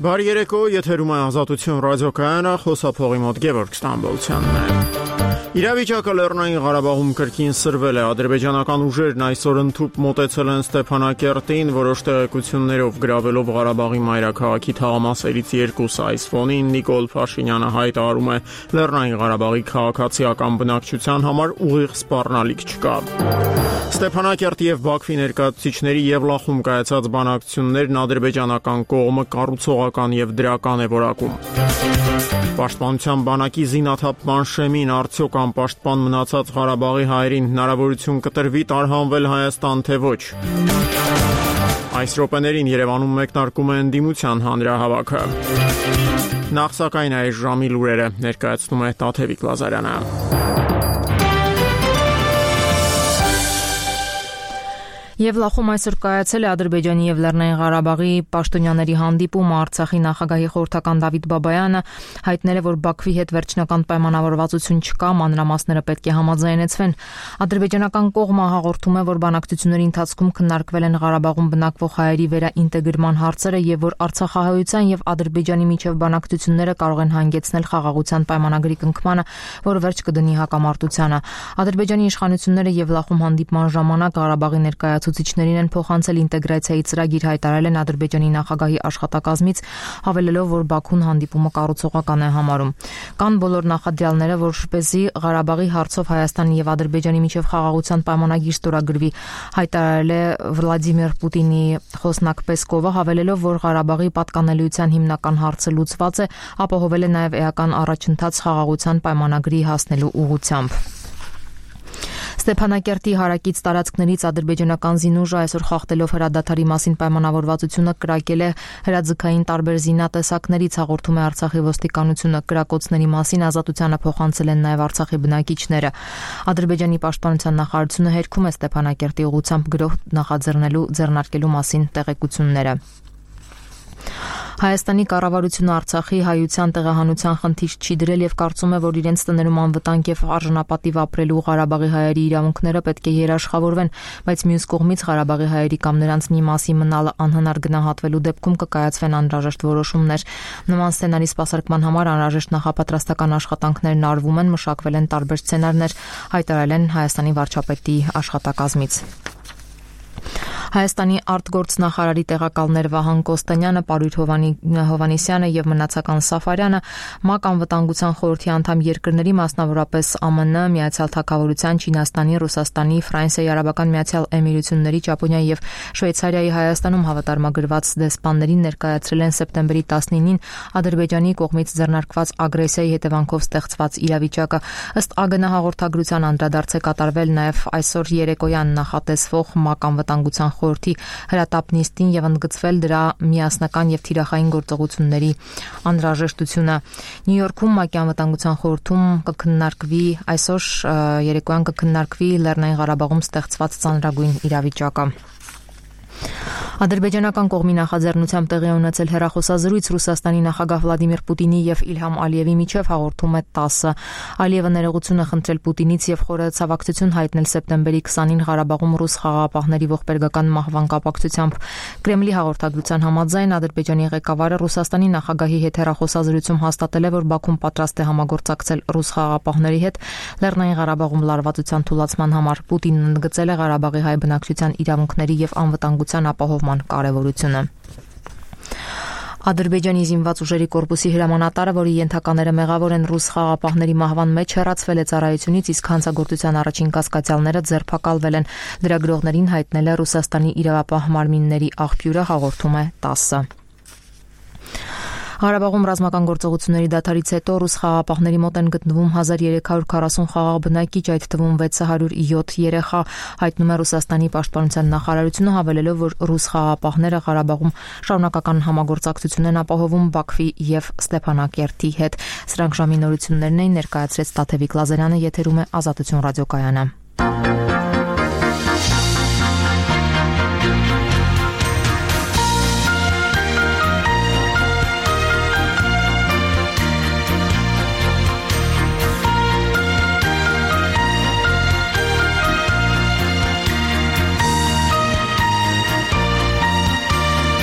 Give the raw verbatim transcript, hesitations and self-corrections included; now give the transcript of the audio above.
Բարի երեկո, եթերում է Ազատություն ռադիոկայանը, խոսափողի մոտ Գևորգ Ստամբոլցյանն է։ Իրավիճակը Լեռնային Ղարաբաղում կրկին սրվել է։ Ադրբեջանական ուժերն այսօր ընդհուպ մոտեցել են Ստեփանակերտին, որոշ տեղեկություններով գրավելով Ղարաբաղի մայրաքաղաքի թաղամասերից երկուսը։ Այս ֆոնին Նիկոլ Փաշինյանը հայտարարում է, Լեռնային Ղարաբաղի քաղաքացիական բնակչության համար ուղիղ սպառնալիք չկա։ Ստեփանակերտ եւ Բաքվի ներկայացուցիչների Եվլախում կայացած բանակցություններն ադրբեջանական կողմը կառուցողական եւ դրական է որակում։ Պաշտպանության բանակի զինաթափման շեմին արդյոք անպաշտպան մնացած Ղարաբաղի հայերին հնարավորություն կտրվի տարհանվել Հայաստան, թե ոչ։ Այս րոպեներին Երևանում մեկնարկում է ընդդիմության հանրահավաքը։ Նախ սակայն այս ժամի լուրերը ներկայացնում է Տաթևիկ Լազարյանը։ Եվլախում այսօր կայացել է Ադրբեջանի եւ Լեռնային Ղարաբաղի պաշտոնյաների հանդիպումը։ Արցախի նախագահի խորհրդական Դավիթ Բաբայանը հայտնել է, որ Բաքվի հետ վերջնական պայմանավորվածություն չկա, մանրամասները պետք է համաձայնեցվեն։ Ադրբեջանական կողմը հաղորդում է, որ բանակցությունների ընթացքում քննարկվել են Ղարաբաղում բնակվող հայերի վերաինտեգրման հարցերը եւ որ Արցախահայության եւ Ադրբեջանի միջև բանակցությունները կարող են հանգեցնել խաղաղության պայմանագրի կնքմանը, որը վերջ կդնի հակամարտությանը։ Ադրբեջանի իշխանությունները Եվլախում հանդիպման ժամանակ Ղարաբաղի ներկայացուցիչներին Ցուցիչներին են փոխանցել ինտեգրացիայի ծրագիր, հայտարարել են Ադրբեջանի նախագահի աշխատակազմից, հավելելով, որ Բաքուն հանդիպումը կառուցողական է համարում։ Կան բոլոր նախադրյալները, որպեսզի Ղարաբաղի հարցով Հայաստանի եւ Ադրբեջանի միջև խաղաղության պայմանագիր ստորագրվի, հայտարարել է Վլադիմիր Պուտինի խոսնակ Պեսկովը, հավելելով, որ Ղարաբաղի պատկանելիության հիմնական հարցը լուծված է, ապահովել է նաեւ էական առաջընթաց խաղաղության պայմանագրի հասնելու ուղղությամբ։ Ստեփանակերտի հարակից տարածքներից ադրբեջանական զինուժը այսօր խախտելով հրադադարի մասին պայմանավորվածությունը կրակել է հրաձգային տարբեր զինատեսակներից, հաղորդում է Արցախի ոստիկանությունը։ Կրակոցների մասին Ազատությանը փոխանցել են նաև Արցախի բնակիչները։ Ադրբեջանի պաշտպանության նախարարությունը հերքում է Ստեփանակերտի ուղղությամբ գրոհ նախաձեռնելու ձեռնարկելու մասին տեղեկությունները։ Հայաստանի կառավարությունը Արցախի հայության տեղահանության խնդիր չի դրել եւ կարծում է, որ իրենց տներում անվտանգ եւ արժանապատիվ ապրելու Ղարաբաղի հայերի իրավունքները պետք է երաշխավորվեն, բայց մյուս կողմից Ղարաբաղի հայերի կամ նրանց մի մասի մնալը անհնար գնահատվելու դեպքում կկայացվեն անհրաժեշտ որոշումներ։ Նման սցենարի սպասարկման համար անհրաժեշտ նախապատրաստական աշխատանքներն արվում են, մշակվել են տարբեր սցենարներ, հայտարարել են Հայաստանի վարչապետի աշխատակազմից։ Հայաստանի արտգործնախարարի տեղակալներ Վահան Կոստանյանը, Պարույր Հովանեսյանը եւ Մնացական Սաֆարյանը ՄԱԿ անվտանգության խորհրդի անդամ երկրների, մասնավորապես ԱՄՆ, Միացյալ Թագավորության, Չինաստանի, Ռուսաստանի, Ֆրանսիայի Արաբական Միացյալ Էմիրությունների, Ճապոնիայի եւ Շվեյցարիայի Հայաստանում հավատարմագրված դեսպաններին ներկայացրել են սեպտեմբերի տասնինին Ադրբեջանի կողմից ձեռնարկված ագրեսիայի հետևանքով ստեղծված իրավիճակը։ Ըստ ԱԳՆ հաղորդագրության անդրադարձ է կատարվել նաեւ այսօր երեկոյան նախատեսվող ՄԱԿ անվտանգության խորհրդի հրատապ նիստին եւ ընդգծվել դրա միասնական եւ թիրախային գործողությունների անհրաժեշտությունը։ Նյու Յորքում ՄԱԿ-ի անվտանգության խորհրդում կքննարկվի այսօր երեկոյան կքննարկվի Լեռնային Ղարաբաղում ստեղծված ծանրագույն իրավիճակը։ Ադրբեջանական կողմի նախաձեռնությամբ տեղի ունեցել հեռախոսազրույց Ռուսաստանի նախագահ Վլադիմիր Պուտինի եւ Իլհամ Ալիևի միջև, հաղորդում է տասը։ Ալիևը ներողություն է խնդրել Պուտինից եւ խորը ցավակցություն հայտնել սեպտեմբերի քսանին Ղարաբաղում ռուս խաղաղապահների ողբերգական մահվան կապակցությամբ։ Կրեմլի հաղորդագրության համաձայն Ադրբեջանի ղեկավարը Ռուսաստանի նախագահի հետ հեռախոսազրույցում հաստատել է, որ Բաքուն պատրաստ է համագործակցել ռուս խաղաղապահների հետ Լեռնային Ղարաբաղում լարվածության թուլացման համար։ Պուտինն ընդգծել է Ղարաբաղի հայ բնակչության իրավունքների եւ անվտանգության ապահովման կարևորությունը։ Ադրբեջանի զինված ուժերի կորպուսի հրամանատարը, որի ենթակաները մեղավոր են ռուս խաղաղապահների մահվան մեջ, հեռացվել է ծառայությունից, իսկ հանցագործության առաջին կասկածյալները ձերբակալվել են։ Լրագրողներին հայտնել է Ռուսաստանի իրավապահ մարմինների աղբյուրը, հաղորդում է տասը։ Ղարաբաղում ռազմական գործողությունների դադարից հետո ռուս խաղաղապահների մոտ են գտնվում հազար երեք հարյուր քառասուն խաղաղ բնակիչ, այդ թվում վեց հարյուր յոթ երեխա, հայտնում է Ռուսաստանի պաշտպանության նախարարությունը, հավելելով, որ ռուս խաղաղապահները Ղարաբաղում շարունակական համագործակցություն են ապահովում Բաքվի եւ Ստեփանակերտի հետ։ Սրանք ժամի նորություններն էին, ներկայացրեց Տաթևիկ Լազարյանը, եթերում է Ազատություն ռադիոկայանը։